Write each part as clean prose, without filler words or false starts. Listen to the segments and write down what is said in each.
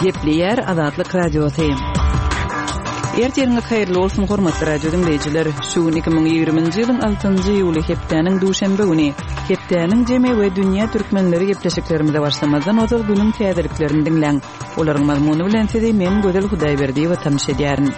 Gepleýär Azatlyk Radiosy. Ertiriňiz haýyrly bolsun, hormatly radio diňleýjiler! Şu gün 2020-nji ýylyň altynjy iýuly hepdäniň duşenbe güni. Hepdäniň jemi we dünýä türkmenleri gepleşiklerimize başlamazdan ozal günüň täzeliklerini diňläň. Olaryň mazmuny bilen sizi men Gözel Hudaýberdiýewa tanyş edýärin.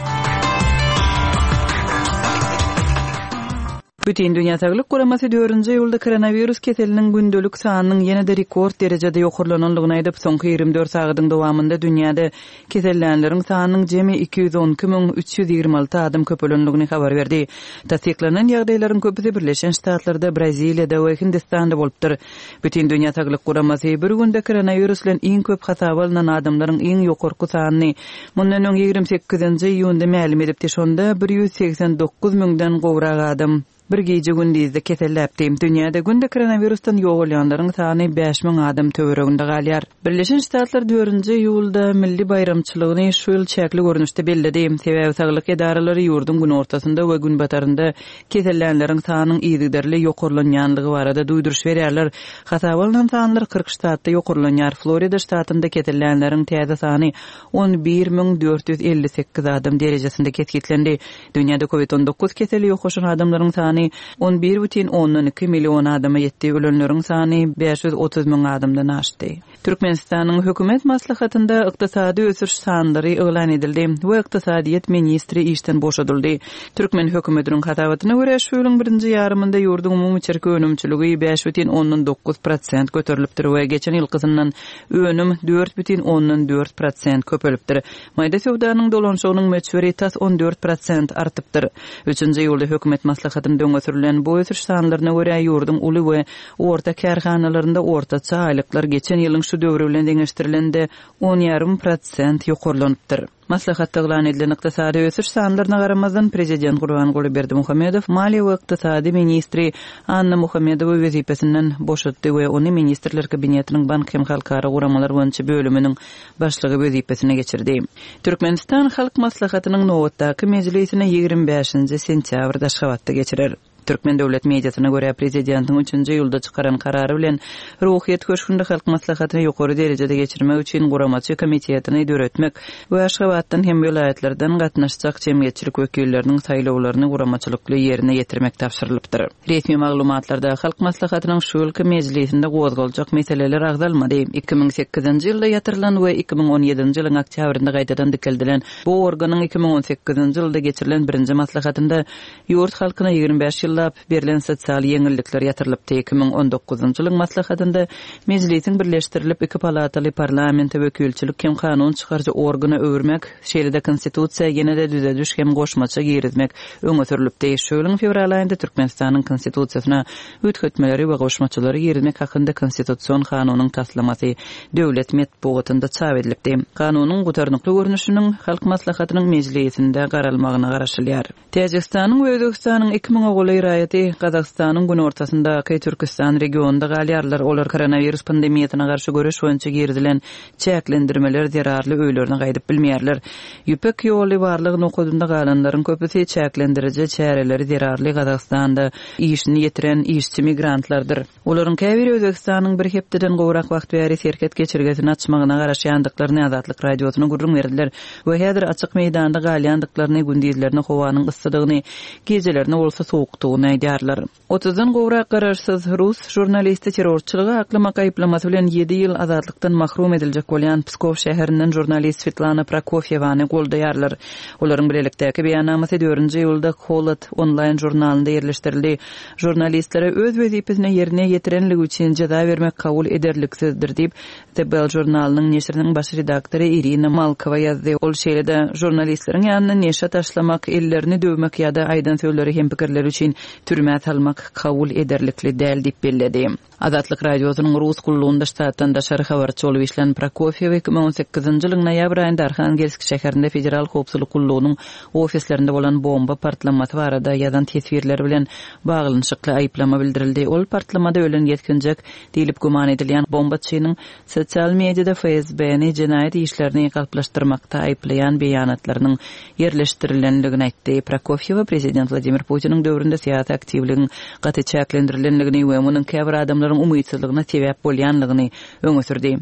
Bütindünýä Saglyk Guramasy dördünji iýulda koronawirus keseliniň gündelik sanynyň ýene-de rekord derejede ýokarlanandygyny aýdyp, soňky 24 sagadyň dowamynda dünýäde kesellänleriň sanynyň jemi 212 326 adam köpelendigini habar berdi. Tassyklanan ýagdaýlaryň köpüsi Birleşen Ştatlarda, Braziliýada we Hindistanda bolupdyr. Bütindünýä Saglyk Guramasy bir günde koronawirus bilen iň köp hasaba alnan adamlaryň iň ýokarky sanyny mundan öň 28-nji iýunda mälim edipdi, şonda 189 müňden gowrak adam bir gije-gündizde keselläpdi. Dünýäde günde koronawirusdan ýogalýanlaryň sany 5000 adam töwereginde galýar. Birleşen Ştatlar dördünji iýulda milli baýramçylygyny şu ýyl çäkli görnüşde belledi. Sebäbi saglyk edaralary ýurduň günortasynda we günbatarynda Kesellänleriň sanynyň yzygiderli ýokarlanýanlygy barada duýduryş berýärler. Hasaba alnan sanlar 40 ştatda ýokarlanýar. Florida ştatynda kesellänleriň täze sany 11 458 adam derejesinde kesgitlendi. Dünýäde Covid 19 keseli ýokaşan adamlaryň sany 11,2 million adama ýetdi, ölenleriň sany 530 müň adamdan aşdy. Türkmenistanyň Hökümet maslahatynda ykdysady ösüş sanlary yglan edildi we ykdysadyýet ministri işden boşadyldy. Türkmen hökümetiniň hasabatyna görä, şu ýylyň birinji ýarymynda ýurduň umumy içerki önümçiligi 5,9 prosent göterilipdir we geçen ýylkysyndan önüm 4,4 prosent köpelipdir. Maýda söwdanyň dolanyşygynyň möçberi tas 14 prosent artypdyr. Üçünji iýulda hökümet maslahatynda öňe sürlen bu ösüş sanlaryna görä, ýurduň uly we Orta kärhanalarynda ortaça aýlyklar geçen ýylyň şu döwri bilen deňeşdirilende on ýarym prosent ýokarlanypdyr. Maslahatda yglan edilen ykdysady ösüş sanlaryna garamazdan, prezident Gurbanguly Berdimuhamedow maliýe we ykdysady ministri Anna Muhammedowy wezipesinden boşatdy we ony Ministrler Kabinetiniň bank hem halkara guramalar boýunça bölüminiň başlygy wezipesine geçirdi. Türkmenistan Halk Maslahatynyň nobatdaky mejlisini 25-nji sentýabrda Aşgabatda geçirer. Türkmen döwlet mediasyna görä, prezidentiň üçünji iýulda çykaran karary bilen Ruhyýet köşgünde Halk Maslahatyny ýokary derejede geçirmek üçin guramaçy komitetini döretmek we Aşgabatdan hem welaýatlardan gatnaşjak jemgyýetçilik wekilleriniň saýlawlaryny guramaçylykly ýerine ýetirmek tabşyrylypdyr. Resmi maglumatlarda Halk Maslahatynyň şu ýylky mejlisinde gozgaljak meseleler agzalmady. 2008-nji ýylda ýatyrylan we 2017-nji ýylyň oktýabrynda gaýtadan dikeldilen bu organyň 2018-nji ýylda geçirilen birinji maslahatynda Ýurt halkyna 25 ýyllap berlen sosial ýeňillikler ýatyrylypdy. 2019-njy ýylyň maslahatynda Mejlisiň birleşdirilip iki palataly parlamente wekilçilik hem kanun çykaryjy organa öwürmek, şeýle-de Konstitusiýa ýene-de düzediş hem goşmaça girizmek öňe sürlüpdi. Şu ýylyň fewral aýynda Türkmenistanyň Konstitusiýasyna üýtgetmeleri we goşmaçalary girizmek hakynda Konstitusion kanunyň taslamasy döwlet metbugatynda çap edilipdi. Kanunyň gutarnykly görnüşiniň Halk Maslahatynyň mejlisinde garalmagyna garaşylýar. Täjigistanyň we Özbegistanyň iki müňe golaý raýaty Gazagystanyň günortasyndaky Türküstan regionynda galýarlar. Olar koronawirus pandemiýasyna garşy göreş boýunça girizilen çäklendirmeler zerarly öýlerine gaýdyp bilmeýärler. Ýüpek ýoly barlag nokadynda galanlaryň köpüsi çäklendiriji çäreleri zerarly Gazagystanda işini ýitiren işçi migrantlardyr. Olaryň käbiri Özbegistanyň bir hepdeden gowrak wagt bäri serhet geçelgesini açmagyna garaşýandyklaryny Azatlyk Radiosyna gürrüň berdiler we häzir açyk meýdanda galýandyklaryny, gündizlerine howanyň yssydygyny, gijelerine bolsa sowukdygyny aýdýarlar. Otuzdan gowrak garaşsyz rus žurnalisti terrorçylygy aklamak aýyplamasy bilen ýedi ýyl azatlykdan mahrum ediljek bolýan Pskow şäherinden žurnalist Swetlana Prokofýewany goldaýarlar. Olaryň bilelikdäki beýannamasy dördünji iýulda Holod onlaýn žurnalynda ýerleşdirildi. Žurnalistlere öz wezipesini ýerine ýetirenligi üçin jeza bermek kabul ederliksizdir diýip, The Bell žurnalynyň neşiriniň baş redaktory Irina Malkowa ýazdy. Ol şeýle-de, žurnalistleriň ýanyna neşe taşlamak, ellerini döwmek ýa-da aýdan sözleri hem pikirleri üçin türmä salmak kabul ederlikli däl diýip belledi. Azatlyk Radiosynyň Rus gullugynda ştatdan daşary habarçy bolup işlän Prokofýew 2018-nji ýylyň noýabr aýynda Arhangelsk şäherinde Federal howpsuzlyk gullugynyň ofislerinde bolan bomba partlamasy barada ýazan teswirleri bilen baglanyşykly aýyplama bildirildi. Ol partlamada ölen ýetginjek diýlip güman edilýän bombaçynyň sosial mediada FSB-ni jenaýat işlerini galplaşdyrmakda aýyplaýan beýanatlarynyň ýerleşdirilendigini aýtdy. Prokofýewa prezident Wladimir Putiniň döwründe syýasy aktiwligiň gaty çäklendirilendigini we munuň käbir adamlaryň umytsyzlygyna sebäp bolýandygyny öňe sürdi.